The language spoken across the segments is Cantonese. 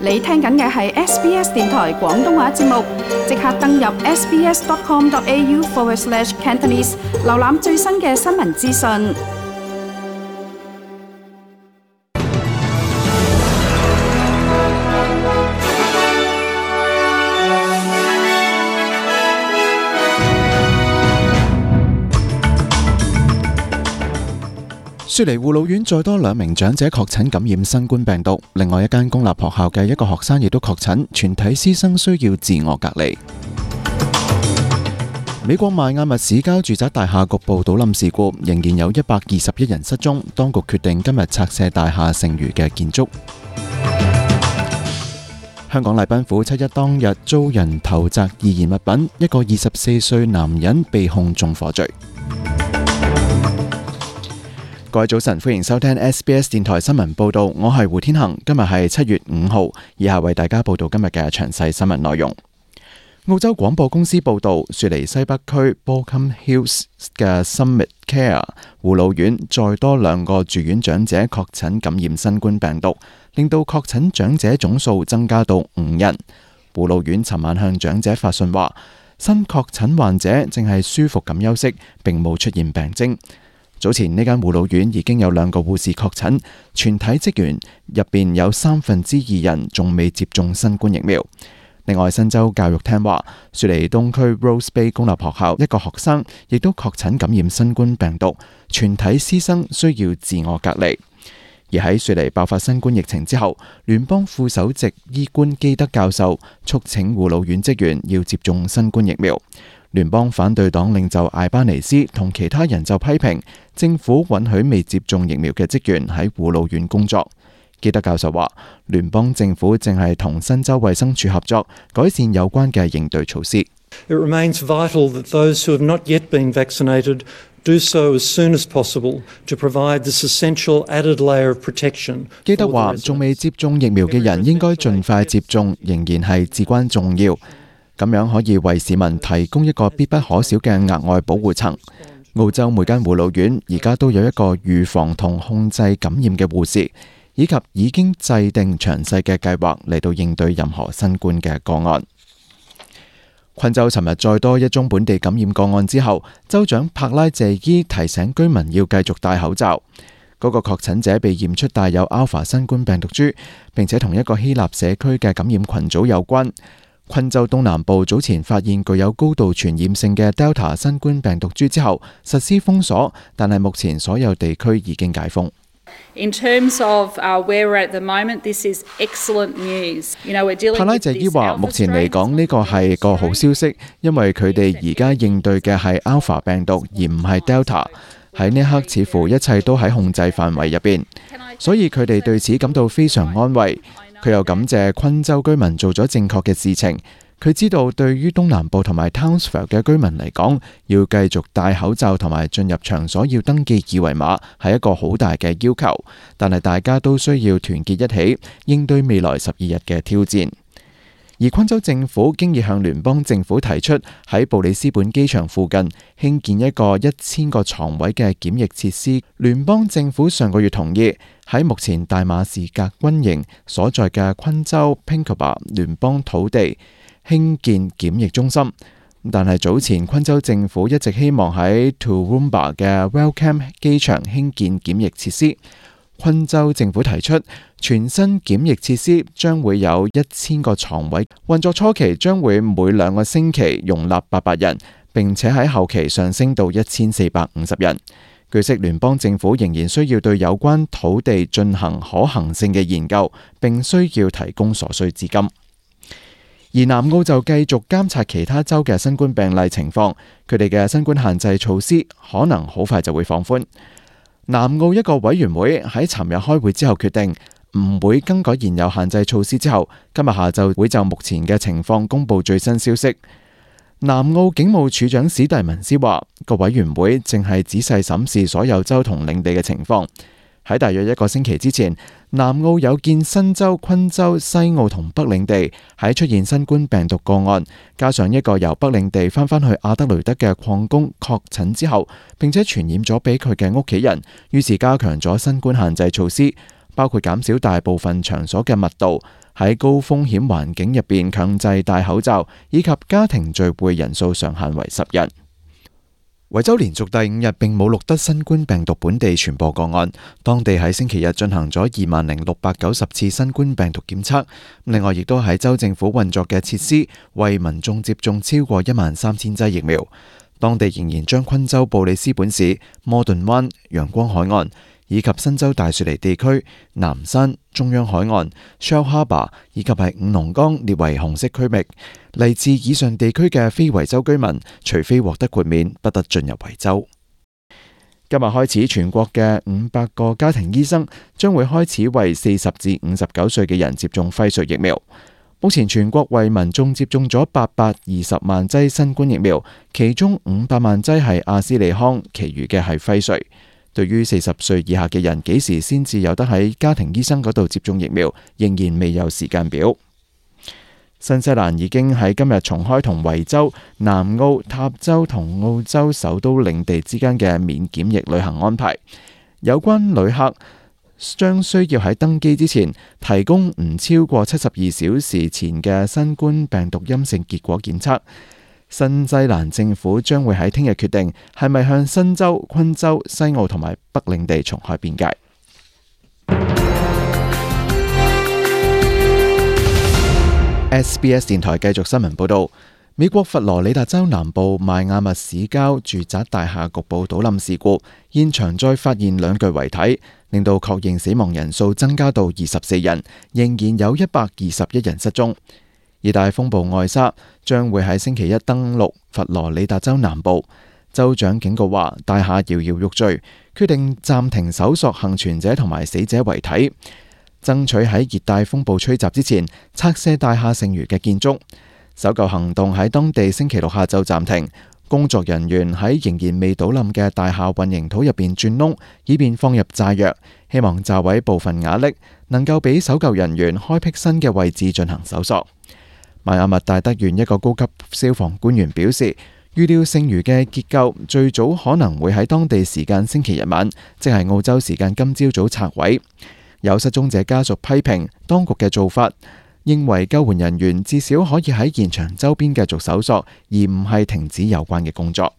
你聽緊嘅係 SBS 電台廣東話節目，即刻登入 sbs.com.au/Cantonese 瀏覽最新嘅新聞資訊。雪梨護老院再多2名長者確診感染新冠病毒，另外一間公立學校嘅一個學生亦都確診，全體師生需要自我隔離。美國邁阿密市郊住宅大廈局部倒冧事故，仍然有121人失蹤，當局決定今日拆卸大廈剩餘嘅建築。香港禮賓府7一當日遭人投擲易燃物品，一個24歲男人被控縱火罪。各位早晨，歡迎收聽 SBS 電台新聞報道，我係胡天恒，今日係7月5號，以下為大家報道今日嘅詳細新聞內容。澳洲廣播公司報道，雪梨西北區 Baulkham Hills 嘅 Summit Care 護老院再多2個住院長者確診感染新冠病毒，令到確診長者總數增加到5人。護老院尋晚向長者發信話，新確診患者正係舒服咁休息，並冇出現病徵。早前呢間護老院已經有2個護士確診，全體職員入邊有2/3人仲未接種新冠疫苗。另外，新州教育廳話，雪梨東區 Rose Bay 公立學校一個學生亦都確診感染新冠病毒，全體師生需要自我隔離。而喺雪梨爆發新冠疫情之後，聯邦副首席醫官基德教授促請護老院職員要接種新冠疫苗。聯邦反對黨領袖艾巴尼斯同其他人就批評政府允許未接種疫苗嘅職員喺護老院工作。基德教授話，聯邦政府正係同新州衛生署合作，改善有關嘅應對措施。It remains vital that those who have not yet been vaccinated do so as soon as possible to provide this essential added layer of protection. 基德話，仲未接種疫苗嘅人應該盡快接種，仍然係至關重要。咁樣可以為市民提供一個必不可少嘅額外保護層。澳洲每間護老院而家都有一個預防同控制感染嘅護士，以及已經制定詳細嘅計劃嚟到應對任何新冠嘅個案。昆州尋日再多一宗本地感染個案之後，州長柏拉謝伊提醒居民要繼續戴口罩。嗰個確診者被驗出帶有 Alpha 新冠病毒株，並且同一個希臘社區嘅感染群組有關。昆州東南部早前發現具有高度傳染性嘅 Delta 新冠病毒株之後，實施封鎖，但係目前所有地區已經解封。In terms of where we're at the moment, this is excellent news. We're dealing with this 帕拉謝伊話，目前嚟講呢個係個好消息，因為佢哋而家應對嘅係 Alpha 病毒，而唔係 Delta。喺呢刻似乎一切都喺控制範圍入邊，所以佢哋對此感到非常安慰。佢又感謝昆州居民做咗正確嘅事情。佢知道對於東南部同埋 Townsville 嘅居民嚟講，要繼續戴口罩同埋進入場所要登記二維碼係一個好大嘅要求，但係大家都需要團結一起，應對未來12日嘅挑戰。而昆州政府經已向聯邦政府提出喺布里斯本機場附近興建一個1000個床位嘅檢疫設施。聯邦政府上個月同意喺目前大馬士革軍營所在嘅昆州 Pinkenba 聯邦土地興建檢疫中心，但係早前昆州政府一直希望喺 Toowoomba 嘅 Wellcome 機場興建檢疫設施。昆州政府提出全新檢疫設施將會有1000個床位，運作初期將會每2個星期容納800人，並且喺後期上升到1450人。據悉，聯邦政府仍然需要對有關土地進行可行性嘅研究，並需要提供所需資金。而南澳就繼續監察其他州嘅新冠病例情況，佢哋嘅新冠限制措施可能好快就會放寬。南澳一個委員會喺尋日開會之後決定唔會更改現有限制措施之後，今日下晝會就目前嘅情況公布最新消息。南澳警務處長史蒂文斯話，個委員會正係仔細審視所有州同領地嘅情況。喺大約1個星期之前，南澳有見新州、昆州、西澳同北領地喺出現新冠病毒個案，加上一個由北領地翻返去阿德雷德嘅礦工確診之後，並且傳染咗俾佢嘅屋企人，於是加強咗新冠限制措施，包括減少大部分場所嘅密度，喺高風險環境入邊強制戴口罩，以及家庭聚會人數上限為10人。維州連續第5日並冇錄得新冠病毒本地傳播個案，當地喺星期日進行咗20,690次新冠病毒檢測。另外，亦都喺州政府運作嘅設施為民眾接種超過13,000劑疫苗。當地仍然將昆州布里斯本市、摩頓灣、陽光海岸以及新州大雪梨地區、南山、中央海岸、Shell Harbour 以及係五龍崗列為紅色區域。嚟自以上地區嘅非維州居民，除非獲得豁免，不得進入維州。今日開始，全國嘅500個家庭醫生將會開始為40至59歲嘅人接種輝瑞疫苗。目前全國為民眾接種咗820萬劑新冠疫苗，其中500萬劑係阿斯利康，其餘嘅係輝瑞。對於40歲以下嘅人幾時先至有得喺家庭醫生嗰度接種疫苗，仍然未有時間表。新西蘭已經喺今日重開同維州、南澳、塔州同澳洲首都領地之間嘅免檢疫旅行安排。有關旅客將需要喺登機之前提供唔超過72小時前嘅新冠病毒陰性結果檢測。新西蘭政府將會喺聽日決定係咪向新州、昆州、西澳同埋北領地重開邊界。SBS 電台繼續新聞報道，美國佛羅里達州南部邁阿密市郊住宅大廈局部倒冧事故，現場再發現2具遺體，令到確認死亡人數增加到24人，仍然有121人失蹤。熱帶風暴愛莎將會喺星期一登陸佛羅里達州南部，州長警告話大廈搖搖欲墜，決定暫停搜索幸存者同埋死者遺體，爭取喺熱帶風暴吹襲之前拆卸大廈剩餘嘅建築。搜救行動喺當地星期六下晝暫停，工作人員喺仍然未倒冧嘅大廈混凝土入邊鑽窿，以便放入炸藥，希望炸毀部分瓦礫，能夠俾搜救人員開闢新嘅位置進行搜索。邁阿密大德縣一個高級消防官員表示，預料剩餘嘅結構最早可能會喺當地時間星期日晚，即係澳洲時間今朝早拆毀。有失蹤者家屬批評當局嘅做法，認為救援人員至少可以喺現場周邊繼續搜索，而唔係停止有關嘅工作。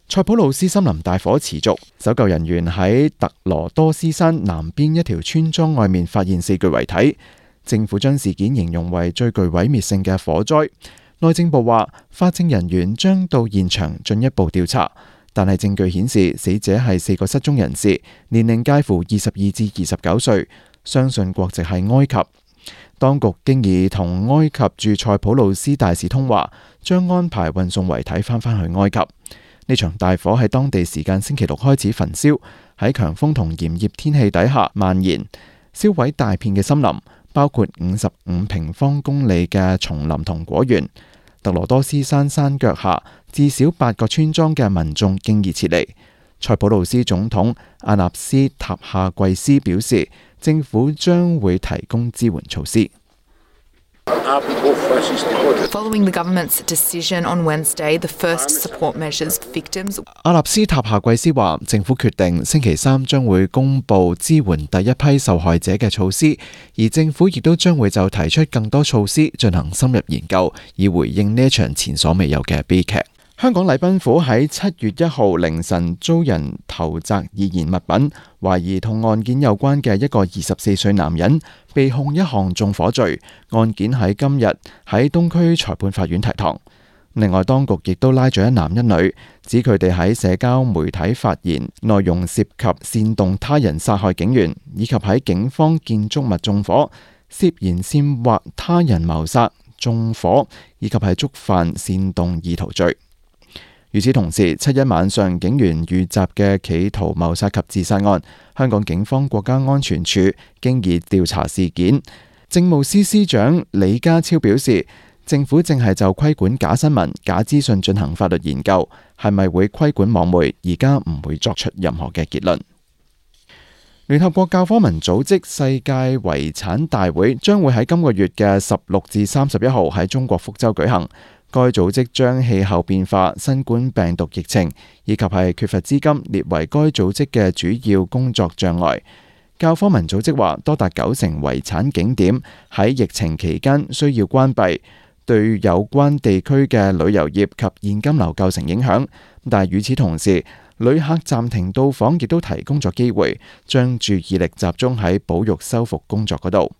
塞浦路斯森林大火持續，搜救人員喺特羅多斯山南邊一條村莊外面發現4具遺體。政府將事件形容為最具毀滅性嘅火災。內政部話，法證人員將到現場進一步調查，但係證據顯示死者係4個失蹤人士，年齡介乎22至29歲，相信國籍係埃及。當局經已同埃及駐塞浦路斯大使通話，將安排運送遺體返去埃及。呢場大火喺當地時間星期六開始焚燒，喺強風同炎熱天氣底下蔓延，燒毀大片嘅森林，包括55平方公里嘅叢林同果園。特羅多斯山山腳下至少8個村莊嘅民眾經已撤離。塞浦路斯總統阿納斯塔夏季斯表示，政府將會提供支援措施。Following the government's decision on Wednesday, the first support measures for victims. 阿納斯塔夏季斯話，政府決定星期3將會公布支援第一批受害者嘅措施，而政府亦都將會就提出更多措施進行深入研究，以回應呢一場前所未有嘅悲劇。香港禮賓府喺7月1號凌晨遭人投擲易燃物品，懷疑同案件有關嘅一個24歲男人被控一項縱火罪，案件喺今日喺東區裁判法院提堂。另外，當局亦都拉咗一男一女，指佢哋喺社交媒體發言內容涉及煽動他人殺害警員，以及喺警方建築物縱火，涉嫌煽惑他人謀殺、縱火，以及係觸犯煽動意圖罪。與此同時，7一晚上警員遇襲嘅企圖謀殺及自殺案，香港警方國家安全處經已調查事件。政務司司長李家超表示，政府正係就規管假新聞、假資訊進行法律研究，係咪會規管網媒，而家唔會作出任何嘅結論。聯合國教科文組織世界遺產大會將會喺今個月嘅16至31號喺中國福州舉行。該組織將氣候變化、新冠病毒疫情以及係缺乏資金列為該組織嘅主要工作障礙。教科文組織話，多達90%遺產景點喺疫情期間需要關閉，對有關地區嘅旅遊業及現金流構成影響。但係與此同時，旅客暫停到訪，亦都提供咗機會，將注意力集中喺保育修復工作嗰度。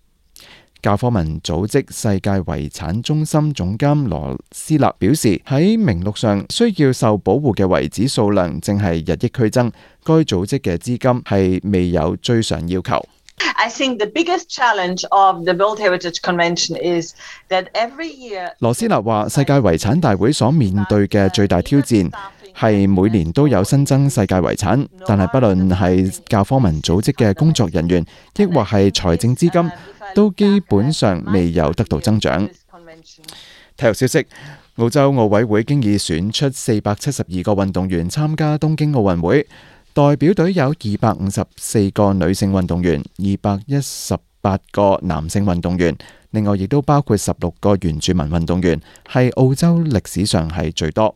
教科文組織世界遺產中心總監羅斯勒表示，喺名錄上需要受保護嘅遺址數量正係日益劇增，該組織嘅資金係未有追上要求。I think the biggest challenge of the World Heritage Convention is that every year 羅斯勒話，世界遺產大會所面對嘅最大挑戰係每年都有新增世界遺產，但係不論係教科文組織嘅工作人員，抑或係財政資金，都基本上未有得到增長。體育消息，澳洲奧委會經已選出472個運動員參加東京奧運會，代表隊有254個女性運動員、218個男性運動員，另外亦都包括16個原住民運動員，係澳洲歷史上係最多。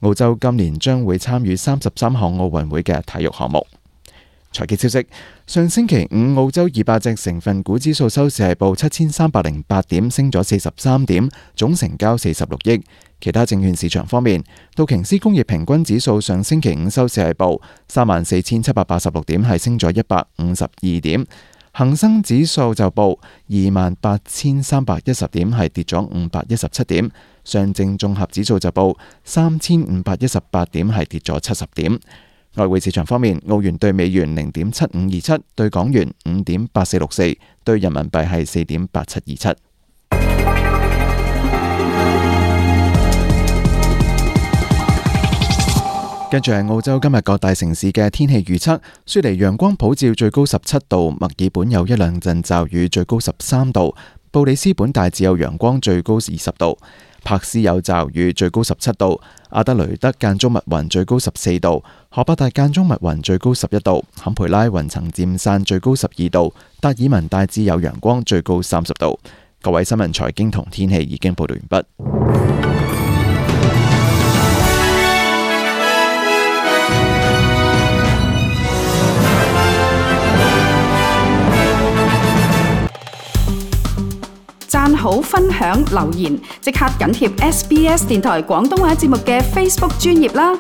澳洲今年將會參與33項奧運會嘅體育項目。財經消息，上星期五澳洲200隻成分股指數收市係報7308點，升咗43點，總成交46億。其他證券市場方面，道瓊斯工業平均指數上星期五收市係報34786點，係升咗152點。恒生指數就報28310點，係跌咗517點。上證綜合指數就報3518點，係跌咗70點。外匯市場方面，澳元對美元0.7527，對港元5.8464，對人民幣係4.8727。跟住係澳洲今日各大城市嘅天氣預測：雪梨陽光普照，最高17度；墨爾本有一兩陣驟雨，最高13度；布里斯本大致有陽光，最高20度；柏斯有驟雨，最高17度；阿德雷德間中密雲，最高14度；荷伯特間中密雲，最高11度；坎培拉雲層漸散，最高12度；達爾文大致有陽光，最高30度。各位新聞、財經同天氣已經報道完畢。讚好、分享、留言，即刻緊貼SBS 電台廣東話節目嘅 Facebook 專頁啦！